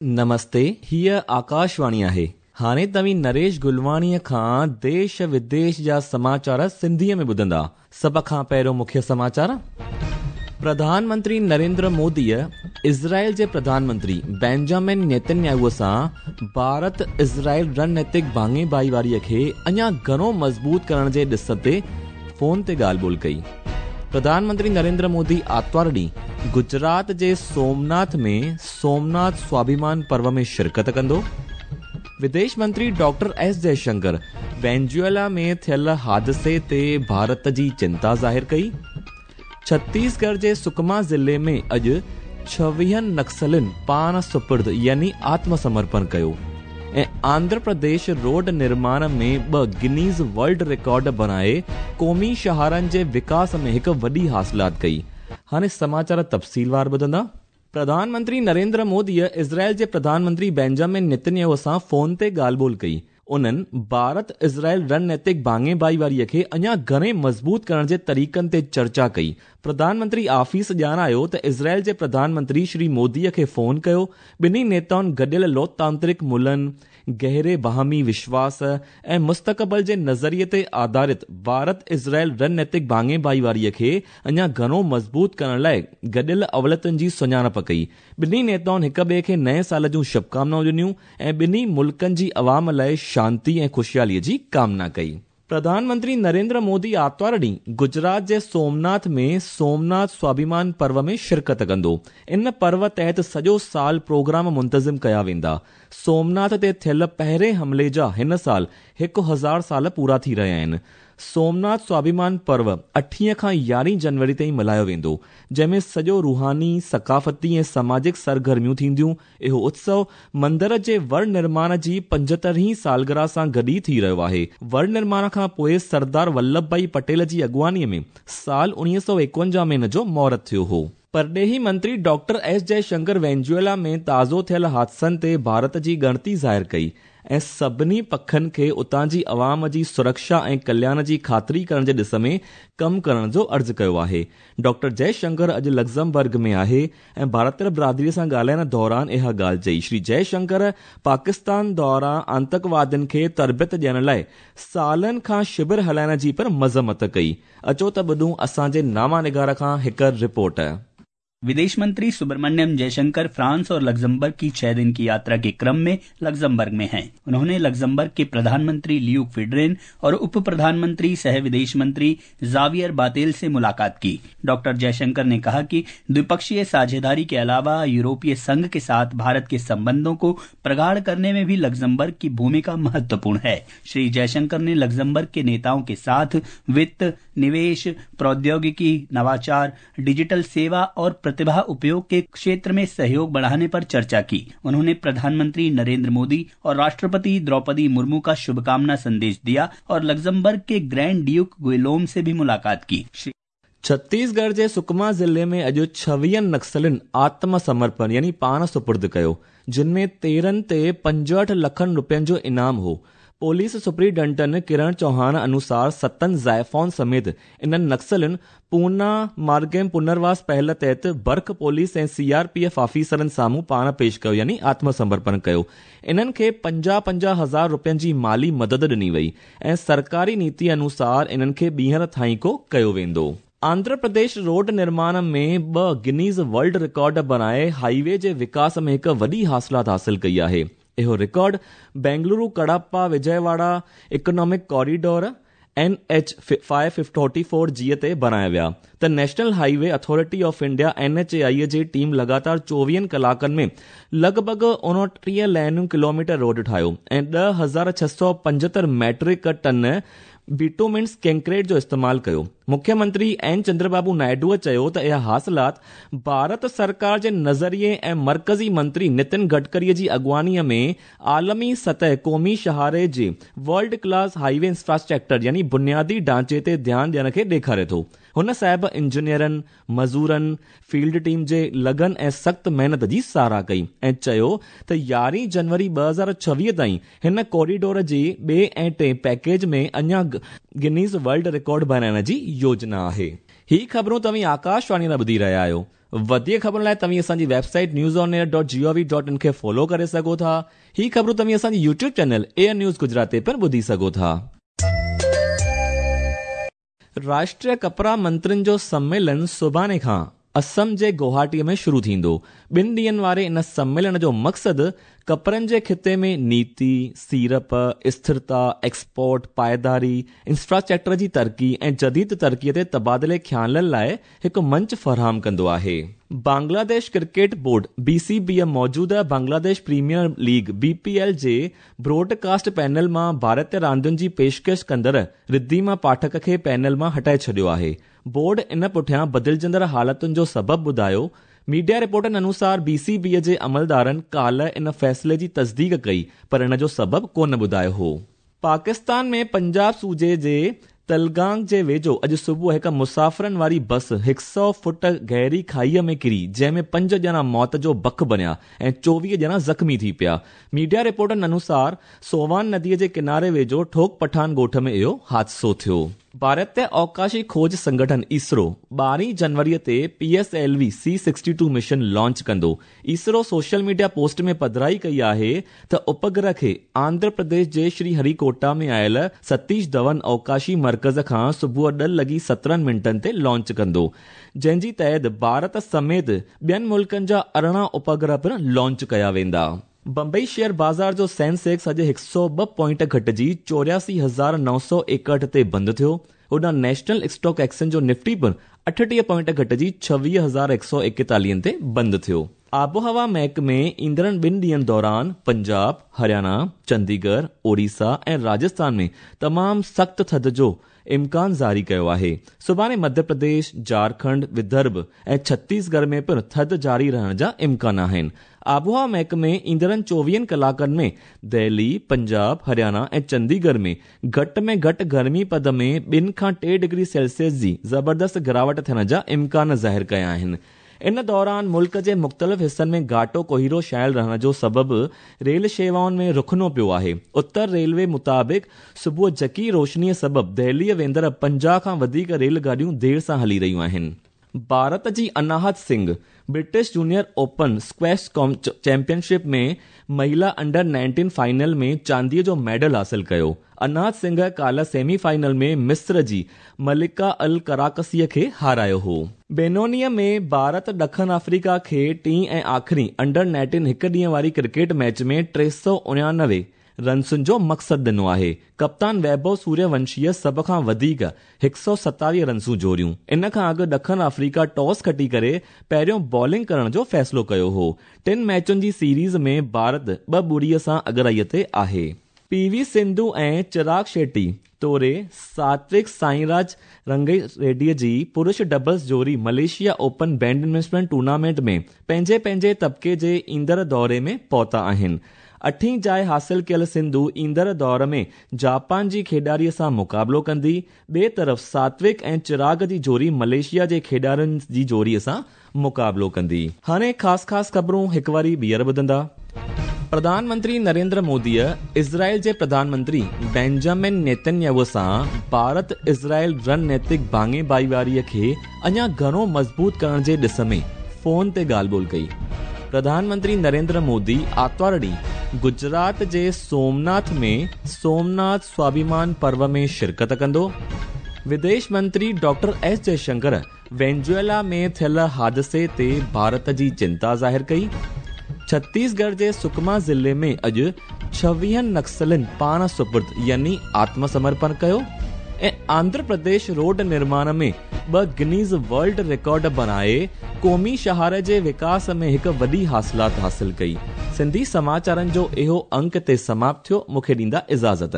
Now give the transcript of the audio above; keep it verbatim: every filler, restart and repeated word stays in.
نمستي، हीअ आकाशवाणी आहे। हाणे तव्हीं नरेश गुलवाणीअ खां देश विदेश जा समाचार सिंधीअ में ॿुधंदा। सभ खां पहिरियों मुख्य समाचार। प्रधानमंत्री नरेंद्र मोदीअ इज़राइल जे प्रधानमंत्री बेंजामिन नेतन्याहू सां भारत इज़राइल रणनीतिक भाङे भाईवारीअ खे अञा घणो मज़बूत करण जे ॾिस ते फ़ोन ते ॻाल्हि ॿोल कई। प्रधानमंत्री नरेंद्र मोदी आतिवार ॾींहुं गुजरात जे सोमनाथ में सोमनाथ स्वाभिमान पर्व में शिरकत कंदो। विदेश मंत्री डॉक्टर एस जयशंकर वेनेजुएला में थियल हादिसे ते भारत जी चिंता ज़ाहिर कई। छत्तीसगढ़ जे सुकमा ज़िले में अॼु छवीहनि नक्सलियुनि पाण सुपुर्द यानी आत्मसमर्पण कयो ऐं आंध्र प्रदेश रोड निर्माण में ॿ गिनीज़ वर्ल्ड रिकॉर्ड बणाए क़ौमी शहरनि जे विकास में हिकु वॾी हासिलात कई। हाणे समाचार तफ़सीलवार ॿुधंदा। प्रधानमंत्री नरेंद्र मोदीअ इज़राइल जे प्रधानमंत्री बेंजामिन नेतन्याहू सां फ़ोन ते ॻाल्हि ॿोल कई। उन्हनि भारत इज़राइल रणनीतिक भाङे भाईवारीअ खे अञा घणे मज़बूत करण जे तरीक़नि ते चर्चा कई। प्रधानमंत्री आफीस ॼाणायो त इज़राइल जे प्रधानमंत्री श्री मोदीअ खे फ़ोन कयो। ॿिन्ही नेताउनि गॾियल लोकतांत्रिक मुलनि, गहरे बाहमी विश्वास ऐं मुस्तक़बिल जे नज़रिए ते आधारित भारत इज़राइल रणनीतिक भाङे भाईवारीअ खे अञा घणो मज़बूत करण लाइ गॾियल अवलियतुनि जी सुञाणप कई। ॿिन्ही नेताउनि हिक ॿिए खे नए साल जूं शुभकामनाऊं ॾिनियूं ऐं ॿिन्ही मुल्कनि जी अवाम लाइ शांति ऐं ख़ुशियालीअ जी कामना कई। प्रधानमंत्री नरेंद्र मोदी आतिवार ॾींहुं गुजरात जे सोमनाथ में सोमनाथ स्वाभिमान पर्व में शिरकत कंदो। इन पर्व तहत सॼो साल प्रोग्राम मुंतज़िम कया वेंदा। सोमनाथ ते थियल पहिरें हमले जा हिन साल हिकु हज़ार साल पूरा थी रहिया आहिनि। सोमनाथ स्वाभिमान पर्व अठीह खां यारहीं जनवरी ताईं मल्हायो वेंदो, जंहिंमें सॼो रूहानी, सकाफ़ती ऐं सामाजिक सरगर्मियूं थींदियूं। इहो उत्सव मंदर जे वर निर्माण जी पंजहतरवीं सालगिरह सां गॾु ई थी रहियो आहे। वर निर्माण खां पोइ सरदार वल्लभ भाई पटेल जी अॻुवाणीअ में साल उणिवीह सौ एकवंजाह में इन जो मुहूर्त थियो हो। परॾेही मंत्री डॉक्टर एस जयशंकर वेनेजुएला में ताज़ो थियल हादसनि ते भारत जी ॻणती ज़ाहिर कई ऐं सभिनी पखनि खे उतां जी अवाम जी सुरक्षा ऐं कल्याण जी ख़ातिरी करण जे ॾिस में कमु करण जो अर्ज़ु कयो आहे। डॉक्टर जयशंकर अॼु लग्ज़मबर्ग में आहे ऐं भारतीय बिरादरीअ सां ॻाल्हाइण दौरान इहा ॻाल्हि चई। श्री जयशंकर पाकिस्तान दौरान आंतकवादियुनि खे तरबियत ॾियण लाइ सालनि खां शिविर हलाइण जी पिणु मज़म्मत कई। अचो त ॿुधूं असांजे नामा निगार खां हिकु रिपोर्ट। विदेश मंत्री सुब्रमण्यम जयशंकर फ्रांस और लग्जमबर्ग की छह दिन की यात्रा के क्रम में लग्जमबर्ग में हैं। उन्होंने लग्जमबर्ग के प्रधानमंत्री ल्यूक फिड्रेन और उप प्रधानमंत्री सह विदेश मंत्री जावियर बातेल से मुलाकात की। डॉक्टर जयशंकर ने कहा कि द्विपक्षीय साझेदारी के अलावा यूरोपीय संघ के साथ भारत के संबंधों को प्रगाढ़ करने में भी लग्जमबर्ग की भूमिका महत्वपूर्ण है। श्री जयशंकर ने लग्जमबर्ग के नेताओं के साथ वित्त, निवेश, प्रौद्योगिकी, नवाचार, डिजिटल सेवा और प्रतिभा उपयोग के क्षेत्र में सहयोग बढ़ाने पर चर्चा की। उन्होंने प्रधानमंत्री नरेंद्र मोदी और राष्ट्रपति द्रौपदी मुर्मू का शुभकामना संदेश दिया और लग्जमबर्ग के ग्रैंड ड्यूक गुइलोम से भी मुलाकात की। छत्तीसगढ़ जे सुकमा ज़िले में अॼु छवीहनि नक्सलियुनि आत्मसमर्पण यानी पाण सुपुर्द कयो, जिन में तेरहं ते पंजहठि लखनि रुपयनि जो इनाम हो। पुलिस सुप्रिंटेंडेंट किरण चौहान अनुसार सतनि ज़ाइफॉन समेत इन्हनि नक्सलियुनि पूना मार्गेम पुनर्वास पहल तहत बर्ख पुलिस ऐं सी आर पी एफ ऑफिसरनि साम्हूं पाण पेश कयो यानी आत्मसमर्पण कयो। इन्हनि खे पंजाह पंजाह हज़ार रुपयनि जी माली मदद ॾिनी वई ऐं सरकारी नीति अनुसार इन्हनि खे ॿीहर थाईको कयो वेंदो। आंध्र प्रदेश रोड निर्माण में ॿ गिनीज़ वर्ल्ड रिकॉर्ड बणाए हाईवे जे विकास में हिकु वॾी हासिलात हासिल कई आहे। इहो record Bengaluru Kadapa Vijayawada economic corridor N H five forty four जी ते बणाया विया त national highway authority of India N H A I ji team लगातार चोवीहनि कलाकनि में लॻभॻ उणिटीह लाइनियूं किलोमीटर रोड ठाहियो ऐं ॾह हज़ार छह सौ पंजहतरि मैट्रिक टन बिटोमिन्स कंक्रीट जो इस्तेमालु कयो। मुख्यमंत्री एन चंद्रबाबू नायडूअ चयो त इहा हासिलात भारत सरकार जे नज़रिए ऐं मर्कज़ी मंत्री नितिन गडकरीअ जी अॻुवाणीअ में आलमी सतह क़ौमी शहारे जे वर्ल्ड क्लास हाईवे इंफ्रास्ट्रक्चर यानी बुनियादी ढांचे ते ध्यानु ॾियण खे ॾेखारे थो। हुन साहिब इंजीनियरनि, मज़ूरनि, फील्ड टीम जे लगन ऐं सख़्तु महिनत जी सराह कई ऐं चयो त यारहीं जनवरी ॿ हज़ार छवीह ताईं हिन कॉरिडोर जे ॿिए ऐं टे पैकेज में अञा गिनीज़ वर्ल्ड रिकॉर्ड बणाइण जी योजना आहे। ही ख़बरूं तव्हीं आकाशवाणी तां ॿुधी रहिया आहियो। वधीक ख़बरुनि लाइ तव्हीं असांजी website news on air dot G O V dot in खे फॉलो करे सघो था। ही ख़बरूं तव्हीं असांजी YouTube channel AIR news Gujarat ते पिणु ॿुधी सघो था। राष्ट्रीय कपड़ा मंत्रियुनि जो सम्मेलन सुभाणे खां असम जे गुवाहाटीअ में शुरू थींदो। ॿिनि ॾींहंनि वारे इन सम्मेलन जो मक़सदु कपड़नि जे ख़िते में नीति, सीड़प, स्थिरता, एक्सपोर्ट, पाइदारी, इंफ्रास्ट्रक्चर जी तरक़ी ऐं जदीद तरक़ीअ ते तबादिले ख़्यालनि लाइ हिकु मंच फराहम कंदो आहे। Bangladesh cricket board B C B मौजूदा Bangladesh premier league B P L जे ब्रॉडकास्ट पैनल मां भारतीय रांदियुनि जी पेशकश कंदड़ रिद्धिमा पाठक खे पैनल मां हटाए छॾियो आहे। बोर्ड इन पुठियां बदिलजंदड़ हालतुनि जो सबबु ॿुधायो। मीडिया रिपोर्टनि अनुसार बी सी बी जे अमलदारनि काल्ह इन फ़ैसिले जी तस्दीक कई, पर इन जो सबबु कोन ॿुधायो हो। पाकिस्तान में पंजाब सूबे जे तलगांग जे वेझो अॼु सुबुह हिकु मुसाफ़िरनि वारी बस हिकु सौ फुट गहरी खाईअ में किरी, जंहिंमें पंज ॼणा मौत जो बक बणिया ऐं चोवीह ॼणा ज़ख़्मी थी पिया। मीडिया रिपोर्टनि अनुसार सोवान नदीअ जे किनारे वेझो ठोक पठान ॻोठ में इहो हादिसो थियो। भारतीय अवकाशी खोज संगठन इसरो ॿारहीं जनवरीअ ते P S L V C sixty two mission launch कंदो। इसरो सोशल मीडिया पोस्ट में पधराई कई आहे त उपग्रह खे आंध्र प्रदेश जे श्रीहरिकोटा में आयल सतीश धवन अवकाशी मर्कज़ खां सुबुह ॾह लॻी सत्रहं मिंटनि ते लॉन्च कंदो, जंहिंजी तहत भारत समेत ॿियनि मुल्कनि जा अरिड़हं उपग्रह पिणु लॉन्च कया वेंदा। बंबई शेयर बाज़ार जो सेंसेक्स अॼु हिकु सौ ॿ पॉइंट घटिजी चोरासी हज़ार नौ सौ एकहठि ते बंदि थियो। होॾां नेशनल स्टॉक एक्सचेंज जो निफ्टी पिणु अठटीह पॉइंट घटिजी छवीह हज़ार हिकु सौ एकतालीहनि ते बंदि थियो। आबोहवा महकमे ईंदड़नि ॿिनि ॾींहंनि दौरान पंजाब, हरियाणा, चंडीगढ़, ओडिशा ऐं राजस्थान में तमामु सख़्तु थधि जो इम्कान जारी कयो आहे। सुभाणे मध्य प्रदेश, झारखंड, विदर्भ ऐं छत्तीसगढ़ में पिणु थधि जारी रहण जा इम्कान आहिनि। आबोहवा महकमे ईंदड़नि चोवीहनि कलाकनि में दिल्ली, पंजाब, हरियाणा ऐं चंडीगढ़ में घटि में घटि गर्मी पद में ॿिनि खां टे डिग्री सेल्सियस जी ज़बरदस्त गिरावट थियण जा इम्कान ज़ाहिर कया आहिनि। इन दौरान मुल्क जे मुख़्तलिफ़ हिसनि में घाटो कोहिरो छायल रहण जो सबबु रेल शेवाउनि में रुखनो पियो आहे। उत्तर रेलवे मुताबिक़ सुबुह झकी रोशनीअ सबबु दिल्लीअ वेंदड़ पंजाह खां वधीक रेल गाॾियूं देरि सां हली रहियूं आहिनि। भारत जी Anahat Singh British junior open squash championship में महिला अंडर नाइनटीन फाइनल में चांदीअ जो मेडल हासिल कयो। अनाहत सिंह काल्ह सेमीफाइनल में मिस्र जी मलिका अल कराकसीअ खे हारायो हो। बेनोनीअ में भारत ॾखण अफ्रीका खे टीं ऐं आख़िरी अंडर नाइनटीन हिकु ॾींहं वारी क्रिकेट मैच में टे सौ उणानवे रन्सुनि जो मक़सदु ॾिनो आहे। कप्तान वैभव सूर्यवंशीअ सभ खां वधीक हिकु सौ सतावीह रन्सूं जोड़ियूं। इन खां अॻु ॾखण अफ्रीका टॉस खटी करे पहिरियों बॉलिंग करण जो फ़ैसिलो कयो हो। टिनि मैचुनि जी सीरीज़ में भारत ॿ ॿुड़ीअ सां अॻिराईअ ते आहे। पी वी सिंधु ऐं चिराग शेट्टी तोड़े सात्विक साईराज रंगी रेड्डीअ जी पुरुष डबल्स जोड़ी मलेशिया ओपन बैडमिंटन टूर्नामेंट में पंहिंजे पंहिंजे तबके जे ईंदड़ दौरे में पहुता आहिनि। अठीं जाइ हासिल कयल सिंधु ईंदड़ दौर में जापान जी खेॾाड़ीअ सां मुक़ाबिलो कंदी। ॿिए तरफ़ सात्विक ऐं चिराग जी जोड़ी मलेशिया जे खेॾाड़ियुनि जी जोड़ीअ सां मुक़ाबिलो कंदी। हाणे ख़ासि ख़ासि ख़बरूं हिकु वारी ॿीहर ॿुधंदा। प्रधानमंत्री नरेंद्र मोदीअ इज़राइल जे प्रधानमंत्री बेंजामिन नेतन्याहू सां भारत इज़राइल रणनैतिक भाङे भाईवारीअ खे अञा घणो मज़बूत करण जे ॾिस में फ़ोन ते ॻाल्हि ॿोल कई। प्रधानमंत्री नरेंद्र मोदी आतिवार ॾींहुं गुजरात जे सोमनाथ में सोमनाथ स्वाभिमान पर्व में शिरकत कंदो। विदेश मंत्री डॉक्टर एस जयशंकर वेनेजुएला में थियल हादिसे ते भारत जी चिंता ज़ाहिर कई। छत्तीसगढ़ जे सुकमा ज़िले में अॼु छवीहनि नक्सलियुनि पाण सुपुर्द यानी आत्मसमर्पण कयो ऐं आंध्र प्रदेश रोड निर्माण में ॿ गिनीज़ वर्ल्ड रिकॉर्ड बणाए क़ौमी शहर जे विकास में हिकु वॾी हासिलात हासिल कई। सिंधी समाचारनि जो इहो अंक ते समाप्त थियो। मूंखे ॾींदा इजाज़त।